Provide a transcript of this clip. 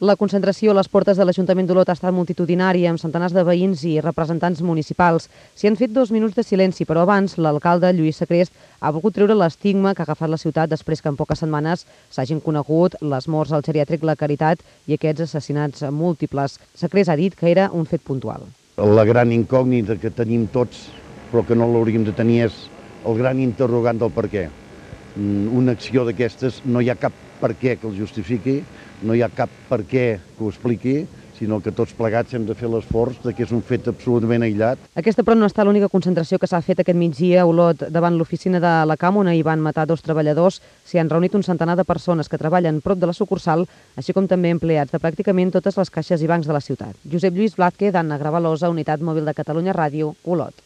La concentració a les portes de l'Ajuntament d'Olot ha estat multitudinària, amb centenars de veïns i representants municipals. S'hi han fet 2 minuts de silenci, però abans l'alcalde, Lluís Sacrest, ha volgut treure l'estigma que ha agafat la ciutat després que en poques setmanes s'hagin conegut les morts al geriàtric La Caritat i aquests assassinats múltiples. Sacrest ha dit que era un fet puntual. La gran incògnita que tenim tots, però que no l'hauríem de tenir, és el gran interrogant del per què. Una acció d'aquestes no hi ha cap per què que el justifiqui, no hi ha cap per què que ho expliqui, sinó que tots plegats hem de fer l'esforç que és un fet absolutament aïllat. Aquesta, però, no està l'única concentració que s'ha fet aquest migdia a Olot davant l'oficina de la CAM, on hi van matar 2 treballadors. S'hi han reunit un centenar de persones que treballen prop de la sucursal, així com també empleats de pràcticament totes les caixes i bancs de la ciutat. Josep Lluís Blázquez, Anna Gravalosa, Unitat Mòbil de Catalunya Ràdio, Olot.